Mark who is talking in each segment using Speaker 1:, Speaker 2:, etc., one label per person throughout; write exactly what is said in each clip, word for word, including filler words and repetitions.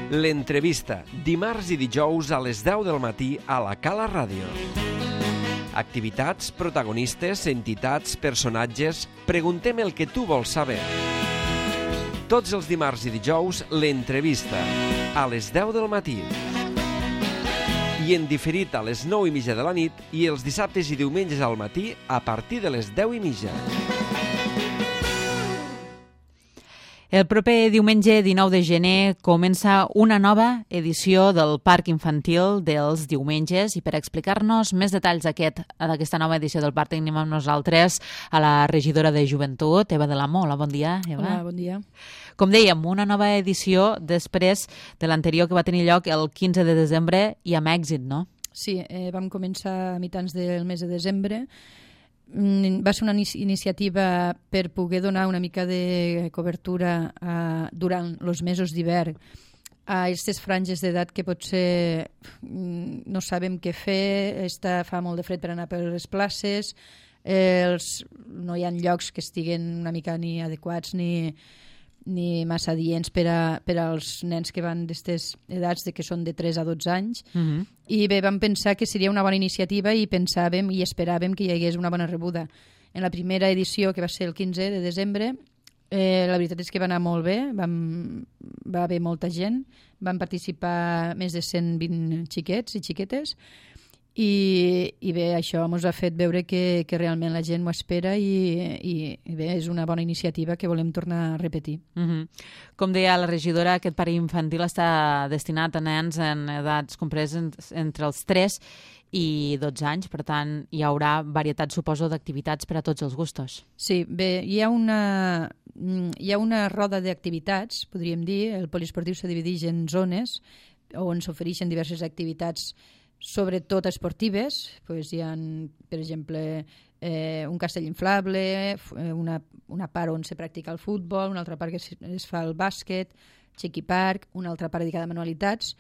Speaker 1: L'entrevista, dimarts i dijous a les deu del matí a la Cala Ràdio. Activitats, protagonistes, entitats, personatges... Preguntem el que tu vols saber. Tots els dimarts i dijous, l'entrevista, a les deu del matí. I en diferit a les nou i mitja de la nit i els dissabtes i diumenges al matí a partir de les deu i mitja.
Speaker 2: El proper diumenge dinou de gener comença una nova edició del Parc Infantil dels diumenges i per explicar-nos més detalls d'aquesta nova edició del Parc tenim amb nosaltres a la regidora de Joventut, Eva de l'Amo. Hola, bon dia, Eva.
Speaker 3: Hola, bon dia.
Speaker 2: Com dèiem, una nova edició després de l'anterior que va tenir lloc el quinze de desembre i amb èxit, no?
Speaker 3: Sí, eh, vam començar a mitjans del mes de desembre. Va ser una iniciativa per poder donar una mica de cobertura a, durant els mesos d'hivern a aquestes franges d'edat que potser no sabem què fer, està, fa molt de fred per anar per les places, eh, els, no hi ha llocs que estiguen una mica ni adequats ni, ni massa adients per, a, per als nens que van d'aquestes edats de que són de tres a dotze anys. Mm-hmm. I bé, vam pensar que seria una bona iniciativa i pensàvem i esperàvem que hi hagués una bona rebuda. En la primera edició, que va ser el quinze de desembre, eh, la veritat és que va anar molt bé, vam, va haver molta gent, van participar més de cent vint xiquets i xiquetes, i, i bé, això ens ha fet veure que, que realment la gent ho espera i, i, i bé, és una bona iniciativa que volem tornar a repetir.
Speaker 2: Mm-hmm. Com deia la regidora, aquest parc infantil està destinat a nens en edats compreses entre els tres i dotze anys, per tant hi haurà varietat, suposo, d'activitats per a tots els gustos.
Speaker 3: Sí, bé, hi ha una, hi ha una roda d'activitats, podríem dir. El poliesportiu se divideix en zones on s'ofereixen diverses activitats sobretot esportives. Pues hi ha, per exemple, eh, un castell inflable, una, una part on se practica el futbol, una altra part que es fa el bàsquet, Chequi Park, una altra part dedicada a manualitats,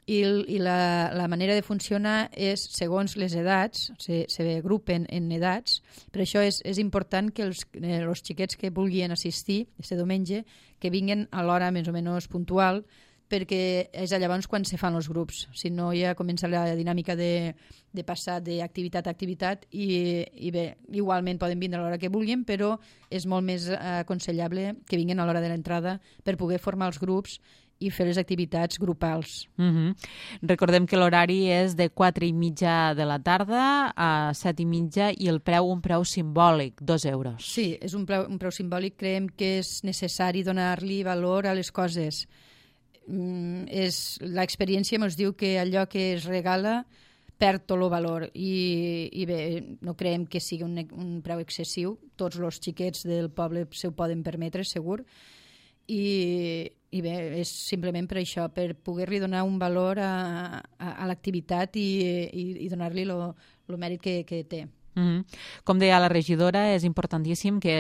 Speaker 3: i, i la, la manera de funcionar és segons les edats, se, se agrupen en edats. Per això és, és important que els, eh, els xiquets que vulguin assistir este diumenge que vinguin a l'hora més o menys puntual, perquè és llavors quan se fan els grups. Si no, ja comença la dinàmica de, de passar d'activitat a activitat i, i bé, igualment poden vindre a l'hora que vulguin, però és molt més aconsellable que vinguin a l'hora de l'entrada per poder formar els grups i fer les activitats grupals.
Speaker 2: Mm-hmm. Recordem que l'horari és de quatre i mitja de la tarda a set i mitja i el preu, un preu simbòlic, dos euros.
Speaker 3: Sí, és un preu, un preu simbòlic. Creiem que és necessari donar-li valor a les coses. Mm, és, l'experiència ens diu que allò que es regala perd tot el valor i, i bé, no creiem que sigui un, un preu excessiu. Tots els xiquets del poble se ho poden permetre, segur. I, i bé, és simplement per això, per poder-li donar un valor a, a, a l'activitat i, i, i donar-li el mèrit que, que té.
Speaker 2: Mm-hmm. Com deia la regidora, és importantíssim que,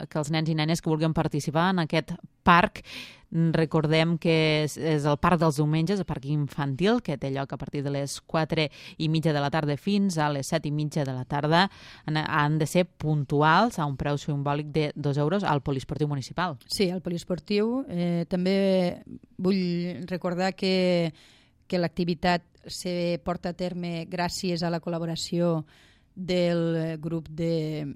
Speaker 2: que els nens i nenes que vulguin participar en aquest parc, recordem que és, és el parc dels diumenges, el parc infantil, que té lloc a partir de les quatre i mitja de la tarda fins a les set i mitja de la tarda. Han de ser puntuals a un preu simbòlic de dos euros al poliesportiu municipal.
Speaker 3: Sí, al poliesportiu. Eh, també vull recordar que, que l'activitat se porta a terme gràcies a la col·laboració del grup de...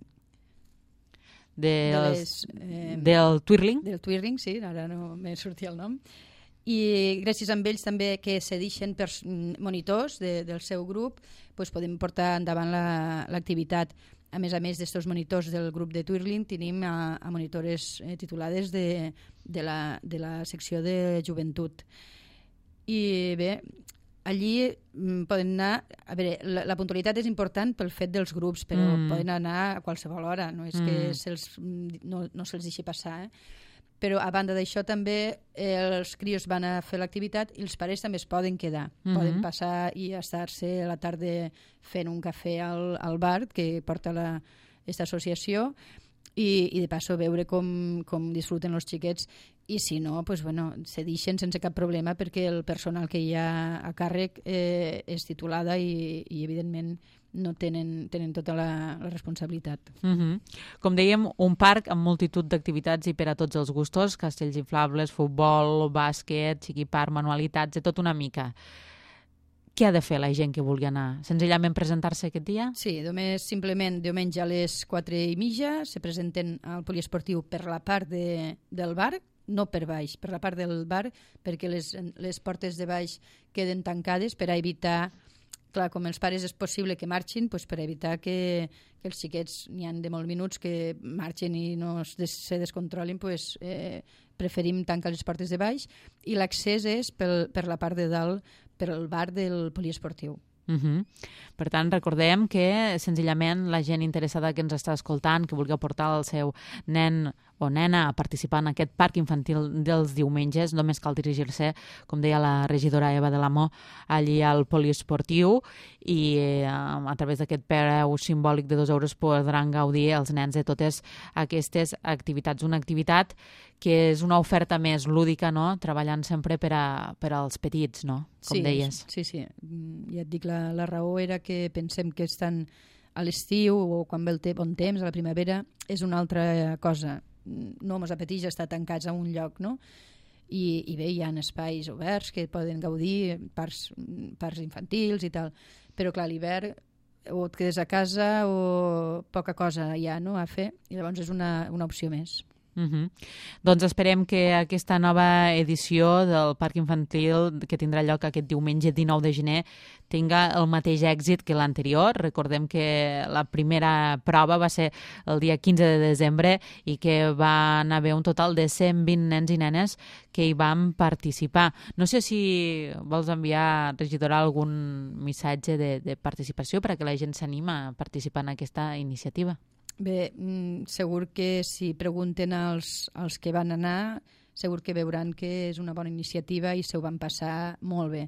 Speaker 2: De
Speaker 3: de
Speaker 2: les,
Speaker 3: les, eh,
Speaker 2: del Twirling.
Speaker 3: Del Twirling, sí, ara no me sortia el nom. I gràcies a ells també que cedeixen per monitors de, del seu grup, doncs podem portar endavant l'activitat. La, a més a més d'estos monitors del grup de Twirling, tenim a, a monitores eh, titulades de, de, la, de la secció de joventut. I bé, allí mm, poden anar... A veure, la, la puntualitat és important pel fet dels grups, però mm. poden anar a qualsevol hora, no és mm. que se'ls, no, no se'ls deixi passar. Eh? Però a banda d'això també eh, els crios van a fer l'activitat i els pares també es poden quedar. Mm-hmm. Poden passar i estar-se a la tarda fent un cafè al, al bar que porta la, aquesta associació i, i de passo veure com, com disfruten els xiquets i si no, pues, bueno, se deixen sense cap problema perquè el personal que hi ha a càrrec eh, és titulada i, i evidentment no tenen, tenen tota la, la responsabilitat.
Speaker 2: Uh-huh. Com dèiem, un parc amb multitud d'activitats i per a tots els gustos, castells inflables, futbol, bàsquet, xiquipar, manualitats, de tot una mica. Què ha de fer la gent que vulgui anar? Senzillament presentar-se aquest dia?
Speaker 3: Sí, només simplement diumenge a les quatre i mitja se presenten al poliesportiu per la part de, del bar, no per baix, per la part del bar, perquè les, les portes de baix queden tancades per a evitar, clar, com els pares és possible que marxin, doncs per evitar que, que els xiquets, n'hi han de molts minuts que marxen i no es des, se descontrolin, doncs, eh, preferim tancar les portes de baix i l'accés és pel, per la part de dalt, per al bar del poliesportiu.
Speaker 2: Uh-huh. Per tant, recordem que senzillament la gent interessada que ens està escoltant, que vulgui portar el seu nen o nena a participar en aquest parc infantil dels diumenges, només cal dirigir-se, com deia la regidora Eva de l'Amor, allí al poliesportiu i eh, a través d'aquest preu simbòlic de dos euros podran gaudir els nens de totes aquestes activitats. Una activitat que és una oferta més lúdica, no? Treballant sempre per, a, per als petits, no? Com
Speaker 3: sí,
Speaker 2: deies.
Speaker 3: Sí, sí. Ja et dic, la, la raó era que pensem que estan a l'estiu o quan ve el te bon temps, a la primavera, és una altra cosa. No mos apeteix estar tancats a un lloc, no? I, i bé, hi ha espais oberts que poden gaudir, parcs, parcs infantils i tal, però clar, a l'hivern o et quedes a casa o poca cosa hi ha, no?, a fer, i llavors és una, una opció més.
Speaker 2: Uh-huh. Doncs esperem que aquesta nova edició del Parc Infantil que tindrà lloc aquest diumenge dinou de gener tinga el mateix èxit que l'anterior. Recordem que la primera prova va ser el dia quinze de desembre i que van haver un total de cent vint nens i nenes que hi van participar. No sé si vols enviar, regidora, algun missatge de, de participació perquè la gent s'anima a participar en aquesta iniciativa.
Speaker 3: Bé, segur que si pregunten als, als que van anar, segur que veuran que és una bona iniciativa i se ho van passar molt bé.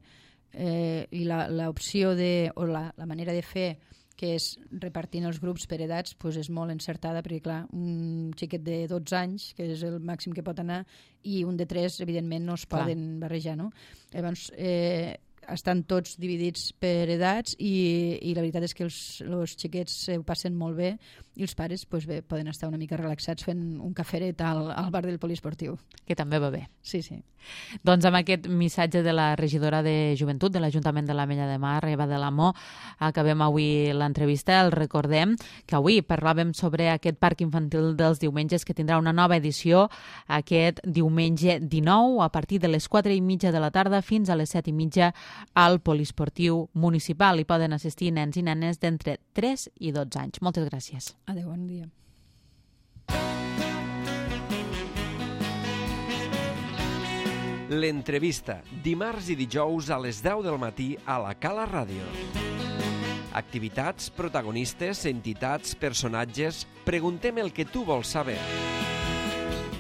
Speaker 3: Eh, I l'opció de, o la, la manera de fer, que és repartint els grups per edats, doncs és molt encertada, perquè clar, un xiquet de dotze anys, que és el màxim que pot anar, i un de tres, evidentment, no es
Speaker 2: clar.
Speaker 3: poden barrejar, no? Llavors, eh, estan tots dividits per edats i, i la veritat és que els, els xiquets ho passen molt bé i els pares pues bé, poden estar una mica relaxats fent un caferet al, al bar del poliesportiu.
Speaker 2: Que també va bé.
Speaker 3: Sí, sí.
Speaker 2: Doncs amb aquest missatge de la regidora de Joventut de l'Ajuntament de l'Ametlla de Mar, Eva de l'Amor, acabem avui l'entrevista. El recordem que avui parlàvem sobre aquest parc infantil dels diumenges que tindrà una nova edició aquest diumenge dinou a partir de les quatre i mitja de la tarda fins a les set i mitja al poliesportiu municipal. Hi poden assistir nens i nenes d'entre tres i dotze anys. Moltes gràcies.
Speaker 3: Adéu, bon dia.
Speaker 1: L'entrevista, dimarts i dijous a les deu del matí a la Cala Ràdio. Activitats, protagonistes, entitats, personatges... Preguntem el que tu vols saber.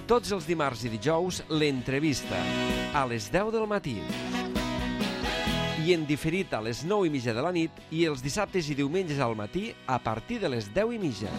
Speaker 1: Tots els dimarts i dijous, l'entrevista, a les deu del matí. I en diferit a les nou i mitja de la nit i els dissabtes i diumenges al matí a partir de les deu i mitja.